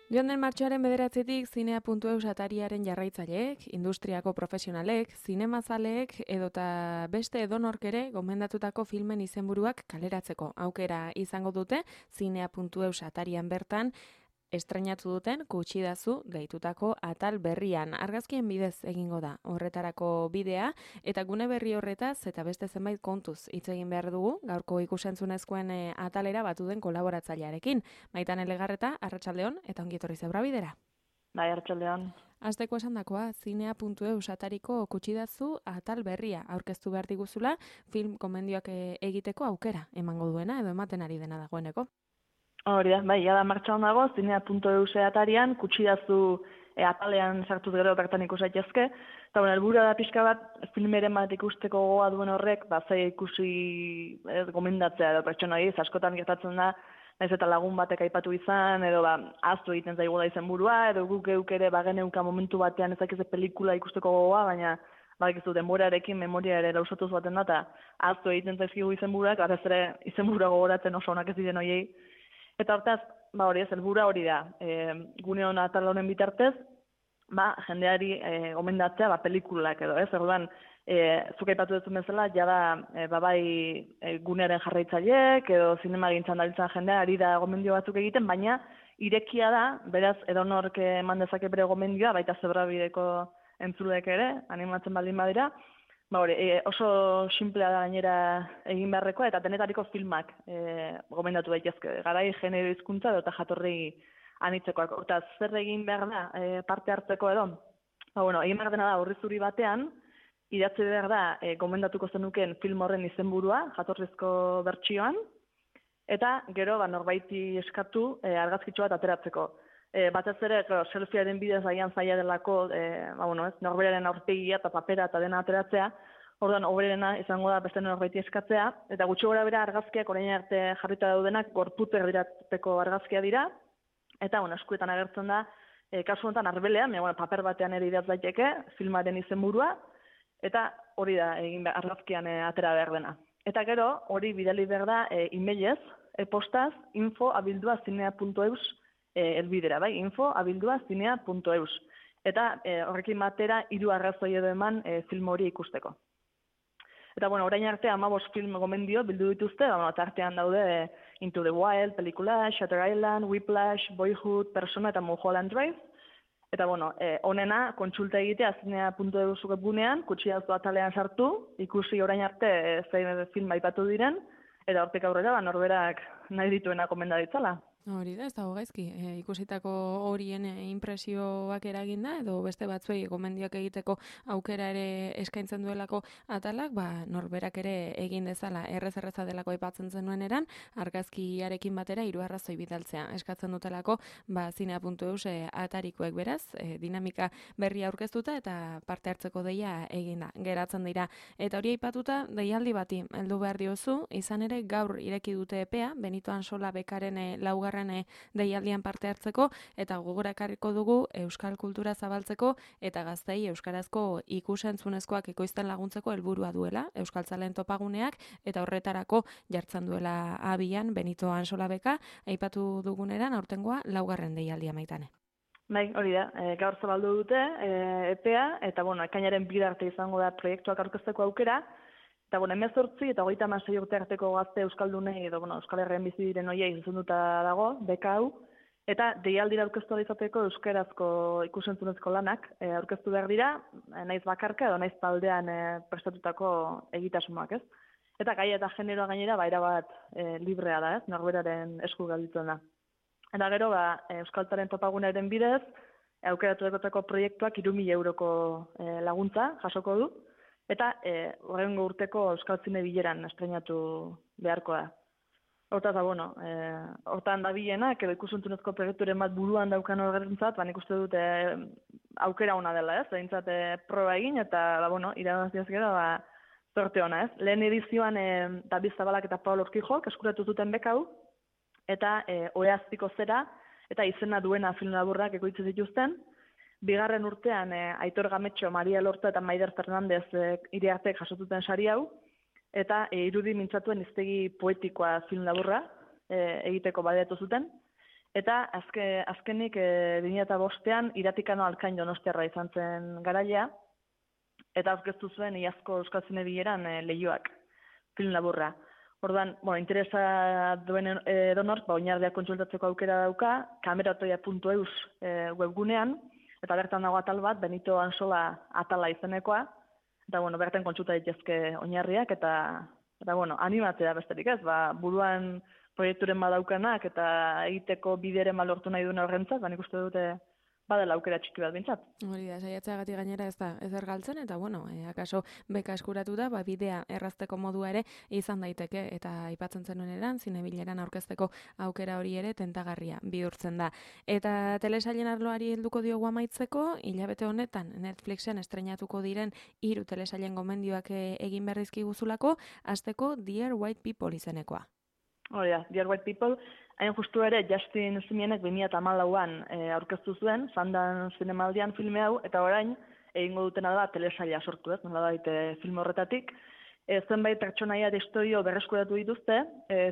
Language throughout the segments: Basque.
Joan den martxoaren 9-tik zinea.eus atariaren jarraitzaileek, industriako profesionalek, zinemazaleek edota beste edonork ere gomendatutako filmen izenburuak kaleratzeko aukera izango dute zinea.eus atarian bertan estreinatu duten Kutsidazu deitutako atal berrian. Argazkien bidez egingo da horretarako bidea, eta gune berri horretaz eta beste zenbait kontuz hitz egin behar dugu, gaurko ikusentzunezkoen atalera batu den kolaboratzailearekin. Maitan Elegarreta, arratsaldeon eta ongietorri zeubra bidera. Bai, arratsaldeon. Hasteko esandakoa, zinea.eus atariko Kutsidazu atal berria aurkeztu behar diguzula, film komendioak egiteko aukera emango duena edo ematen ari dena dagoeneko. Hori da, bai, jada martxan dago, zinea.eus atarian, Kutsidazu atalean sartuz gero bertan ikus daitezke. Eta helburua da pixka bat, filmeren bat ikusteko gogoa duen horrek, zaila ikusi gomendatzea edo pertsona horiek, askotan gertatzen da, naiz eta lagun batek aipatu izan, edo ahaztu egiten zaigu da izenburua, edo guk geuk ere bageneuka momentu batean ezakize pelikula ikusteko gogoa, baina badakizu denborarekin memoria ere lausatuz baten da, eta ahaztu egiten zaizkigu izenburuak, batez ere izenburua gogoratzen oso onak ez diren horiei. Eta hortaz, hori ez, helburua hori da, gune hona atal honen bitartez, jendeari gomendatzea pelikulak edo, ez? Orduan, zuk aipatu duzun bezala, jada gunearen jarraitzaileek edo zinema gintzan dabiltzan jendea ari da gomendio batzuk egiten, baina irekia da, beraz, edonork eman dezake bere gomendioa, baita Zebrabideko entzuleek ere, animatzen baldin badira, oso simplea da gainera egin beharrekoa, eta denetariko filmak gomendatu daitezke. Garai genero hizkuntza eta jatorri anitzekoak. Eta zer egin behar da parte hartzeko edo? Egin behar dena da horri zuri batean, idatzi behar da gomendatuko zenuken film horren izenburua, jatorrizko bertsioan, eta gero norbaiti eskatu argazkitxo bat ateratzeko. Batez ere, selfiearen bidez agian zaila delako, norberaren aurpegia eta papera eta dena ateratzea, orduan hoberena izango da beste norbaiti eskatzea, eta gutxi gora bera argazkiak orain arte jarrita daudenak gorputek dirateko argazkia dira, eta eskuetan agertzen da, kasu honetan arbelean, paper batean ere idatz daiteke, filmaren izenburua, eta hori da argazkian atera behar dena. Eta gero, hori bidali behar da e-mailez, e-postaz, info@zinea.eus elbidera, info@zinea.eus. Eta horrekin batera 3 arrazoi edo eman film hori ikusteko. Eta orain arte 15 film gomendio bildu dituzte, eta artean daude Into the Wild, pelikula, Shutter Island, Whiplash, Boyhood, Persona eta Mulholland Drive. Eta honena kontsulta egitea zinea.eus webgunean, Kutsidazu atalean sartu, ikusi orain arte zein film aipatu diren, eta hortik aurrera norberak nahi dituena komenda ditzala. Hori da, ez dago gaizki. Ikusitako horien inpresioak eraginda, edo beste batzuei gomendioak egiteko aukera ere eskaintzen duelako atalak, norberak ere egin dezala erreza delako aipatzen zenuen eran, argazkiarekin batera 3 arrazoi bidaltzea. Eskatzen dutelako, zinea.eus atarikoek beraz, dinamika berria aurkeztuta eta parte hartzeko deia eginda, geratzen dira. Eta hori aipatuta, deialdi bati heldu behar diozu, izan ere gaur ireki dute epea, Benito Ansola bekaren laugarren deialdian parte hartzeko, eta gogorakarriko dugu euskal kultura zabaltzeko eta gaztei euskarazko ikusentzunezkoak ekoizten laguntzeko helburua duela, euskaltzaleen topaguneak, eta horretarako jartzen duela abian Benito Ansola beka, aipatu duguneran aurtengoa laugarren deialdia Maitane. Bai, hori da, gaur zabaldu dute epea, eta ekainaren 2 arte izango da proiektuak aurkezteko aukera, eta 18 eta 36 urte arteko gazte euskaldunei edo Euskal Herrian bizi diren horiei zuzenduta dago, beka hau, eta deialdira aurkeztu izateko euskarazko ikusentzunezko lanak aurkeztu behar dira, naiz bakarka edo naiz taldean prestatutako egitasmoak, ez? Eta gaia eta generoa gainera erabat librea da, ez? Norberaren esku gelditzen da. Eta gero, euskaltzaren topagunaren bidez, aukeratutako proiektuak 3.000 euroko laguntza jasoko du, eta horrengo urteko Euskal Zine bileran estreinatu beharko da. Hortaz, hortan dabilenak, edo ikusentzunezko proiekturen bat buruan daukan horrentzat, nik uste dut aukera ona dela, ez? Eintzat proba egin, eta irabaziaz gero, zorte ona, ez? Lehen edizioan David Zabalak eta Paul Orkijok eskuratu zuten beka hau, eta Oheaztiko zera, eta izena duena film laburrak ekoitzi zituzten. Bigarren urtean Aitor Gametxo, Maria Lorta eta Maider Fernandez iriartek jasotuten sari hau, eta irudi mintzatuen hiztegi poetikoa film laburra egiteko baliatu zuten. Eta azkenik 2005an Iratikano Alkain Donostiarra izan zen garailea, eta aurkeztu zuen iazko Euskal Zine Bileran Leihoak, film laburra. Orduan, interesa duen edonork, oinarriak kontsultatzeko aukera dauka, kameratoia.eus webgunean, eta bertan dago atal bat, Benito Ansola atala izenekoa, eta bertan kontsulta daitezke oinarriak, eta animatzea besterik ez, buruan proiekturen badaukanak, eta egiteko bideren lortu nahi duen horrentzat, nik uste dute badela aukera txiki bat bintzat. Hori da, saiatzeagatik gainera ez da ezer galtzen, eta akaso beka eskuratu da, bidea errazteko modua ere izan daiteke, eta aipatzen zenuen eran, zinebileran aurkezteko aukera hori ere tentagarria bihurtzen da. Eta telesailen arloari helduko diogu amaitzeko, hilabete honetan Netflixen estreinatuko diren 3 telesailen gomendioak egin berrizki guzulako, hasteko Dear White People izenekoa. Hori da, Dear White People, hain justu ere Justin Simienek 2014an aurkeztu zuen, Sandan zinemaldian filme hau, eta orain egingo dutena da telesaila sortu ez, nolabait film horretatik. Zenbait pertsonaia eta historio berreskuratu dituzte,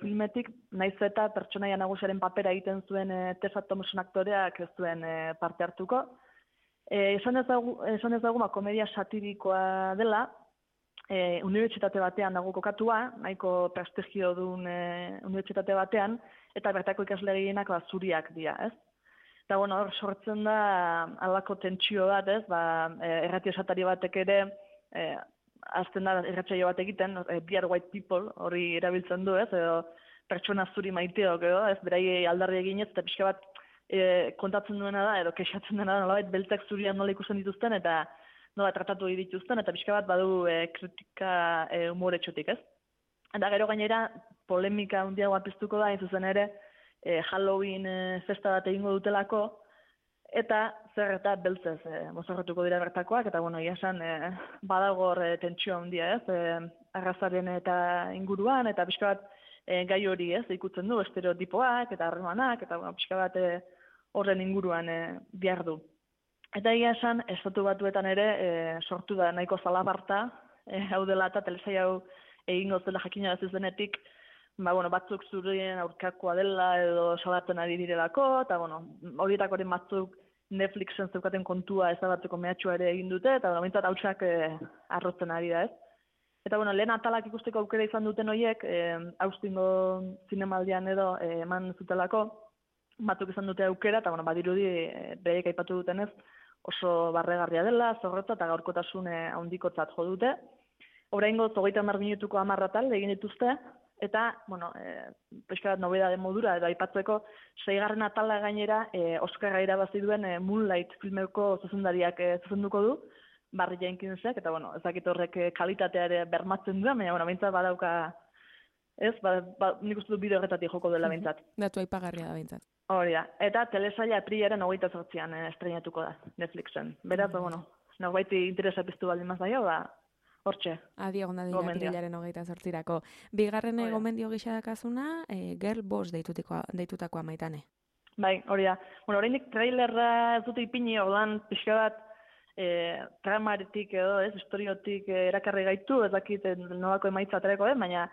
filmetik naiz eta pertsonaia nagusiaren papera egiten zuen Tessa Thompson aktoreak ez zuen parte hartuko. Esan ezagu komedia satirikoa dela, unibertsitate batean dago kokatua, nahiko prestigio duen unibertsitate batean, eta bertako ikasle gehienak zuriak dira, ez? Eta hor sortzen da alako tentsio bat, ez? Errati esatari batek ere, azten da erratsaio bat egiten, Dear White People hori erabiltzen du, ez? Edo pertsona zuri maiteok, edo, ez? Berai aldarri eginez, eta pixka bat kontatzen duena da, edo kexatzen dena da, nolabait beltzak zurian nola ikusten dituzten, eta nola tratatu dituzten, eta pixka bat badu kritika humoretxotik, ez? Eta gero gainera, polemika handiagoa piztuko da, zuzen ere, Halloween festa bat egingo dutelako, eta zer eta beltzez mozorretuko dira bertakoak, eta egia esan badagor tentsio handia, ez? Arrazaren eta inguruan, eta pixka bat gai hori, ez? Ikutzen du, estereotipoak, eta harremanak, eta pixka bat horren inguruan behar du. Eta egia esan, Estatu Batuetan ere sortu da nahiko zalaparta, hau dela eta telesai hau egingo zela jakina denetik, batzuk zurien aurkakoa dela edo salatzen ari direlako, eta horietakoren batzuk Netflixen zeukaten kontua ezabatzeko mehatxua ere egin dute, eta mintzat hautsak arrotzen ari da, ez? Eta lehen atalak ikusteko aukera izan duten horiek, Austingo zinemaldian edo eman zutelako, batzuk izan dute aukera, eta badirudi bereik aipatu dutenez, oso barregarria dela, zorrotza eta gaurkotasun handikotzat jo dute. Oraingo 30 minutuko 10 atal egin dituzte, eta, pixka bat nobedade modura, edo aipatzeko 6. atala gainera Oskarra irabazi duen Moonlight filmeko zuzendariak zuzenduko du, Barry Jenkinsek, eta, ez dakit horrek kalitatea ere bermatzen duen, baina, behintzat badauka, ez, nik uste du bideo horretatik joko dela behintzat. Datu aipagarria da behintzat. Hori da, eta telesaila aprilaren 28an estreinatuko da Netflixen. Beraz, norbaiti interesa piztu baldin mazaio, hortxe. Adi egon da dira aprilaren 28irako. Bigarren gomendio gisa dakazuna, Girl Boss deitutakoa Maitane. Bai, hori da. Oraindik trailerra ez dute ipini, orduan pixka bat tramaretik edo, historiotik erakarri gaitu, ez dakit nolako emaitza aterako, baina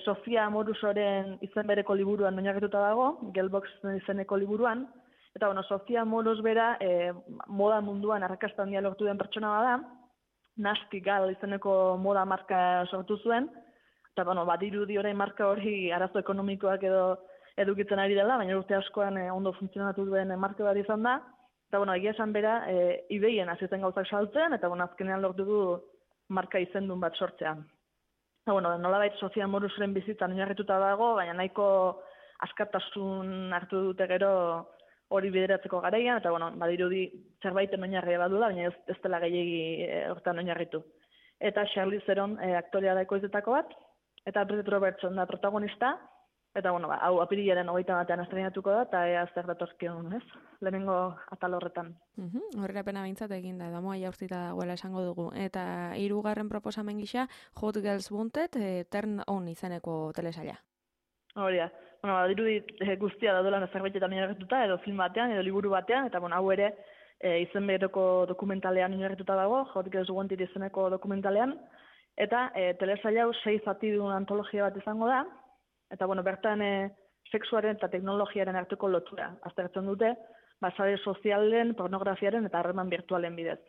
Sofia Amorusoren izen bereko liburuan oinarrituta dago, Girlbox izeneko liburuan, eta Sofia Amorus bera moda munduan arrakasta handia lortu den pertsona bada, Nasty Gal izeneko moda marka sortu zuen, eta badirudi orain marka hori arazo ekonomikoak edo edukitzen ari dela, baina urte askoan ondo funtzionatu duen marka bat izan da, eta egia esan bera eBayen hasietzen gauzak saltzen, eta azkenean lortu du marka izendun bat sortzea. Nolabait Sofia Amorusoren bizitzan oinarrituta dago, baina nahiko askatasun hartu dute gero hori bideratzeko garaian, eta badirudi zerbaiten oinarria badula, baina ez dela gehiegi hortan oinarritu. Eta Charlize Theron aktorea da ekoiztetako bat, eta Brett Robertson da protagonista, eta hau apirilaren 21an estreinatuko da, eta ea zer datorkion, ez? Lehenengo atal horretan. Horrerapena behintzat egin da, damoa jaurtzita dagoela esango dugu. Eta 3. proposamen gisa, Hot Girls Wanted, Turn On izeneko telesaila. Hori da. Dirudi guztia da dolan zerbaitetan oinarrituta, edo film batean, edo liburu batean, eta hau ere izen bereko dokumentalean oinarrituta dago, Hot Girls Wanted izeneko dokumentalean, eta telesaila hau 6 zati duen antologia bat izango da, eta bertan sexuaren eta teknologiaren arteko lotura aztertzen dute, sare sozialen, pornografiaren eta harreman virtualen bidez.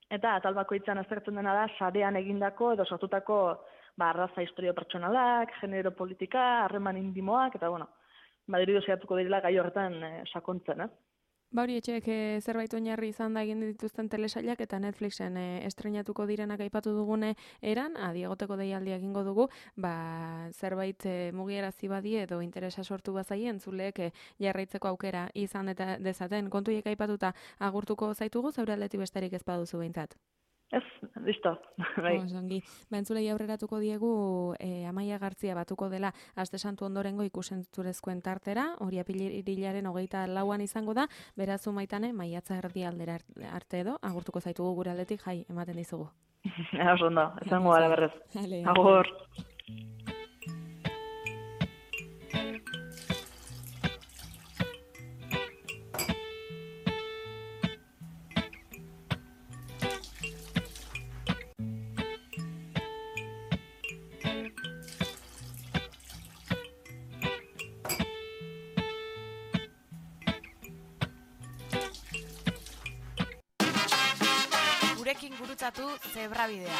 Eta atal bakoitzean aztertzen dena da sarean egindako edo sortutako arraza historio pertsonalak, genero politika, harreman intimoak, eta diridu zehatuko direla gai horretan sakontzen, ez? Hori etxeek zerbait oinarri izan da egin dituzten telesailak eta Netflixen estrenatuko direnak aipatu dugune eran, adiegoteko deialdia egingo dugu, zerbait mugiarazi badie edo interesa sortu bazaien zuleek jarraitzeko aukera izan eta dezaten. Kontuiek aipatuta agurtuko zaitugu, zeure aldetik besterik ez baduzu behintzat. Ez, listo. Ongi. Entzulei aurreratuko diegu Amaia Gartzia batuko dela Aste Santu ondorengo ikusentzurezkoen tartera, hori apirilaren 24an izango da, beraz Maitane, maiatza erdialdera arte edo, agurtuko zaitugu gure aldetik, jai, ematen dizugu. Oso ondo, izango gara berrez. Agur. Gurekin gurutzatu Zebrabidea.